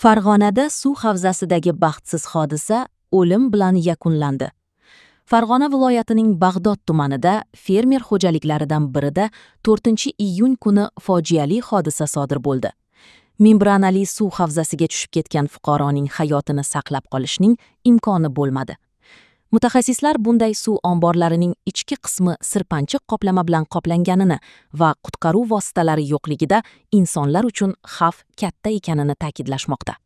Farg'onada suv havzasidagi baxtsiz hodisa o'lim bilan yakunlandi. Farg'ona viloyatining Bag'dod tumanida fermer xo'jaliklaridan birida 4-iyun kuni fojiali hodisa sodir bo'ldi. Membranali suv havzasiga tushib ketgan fuqaroning hayotini saqlab qolishning imkoni bo'lmadi. Mutaxassislar bunday suv omborlarining ichki qismi sirpanchiq qoplama bilan qoplanganini va qutqaruv vositalari yo'qligida insonlar uchun xavf katta ekanini ta'kidlashmoqda.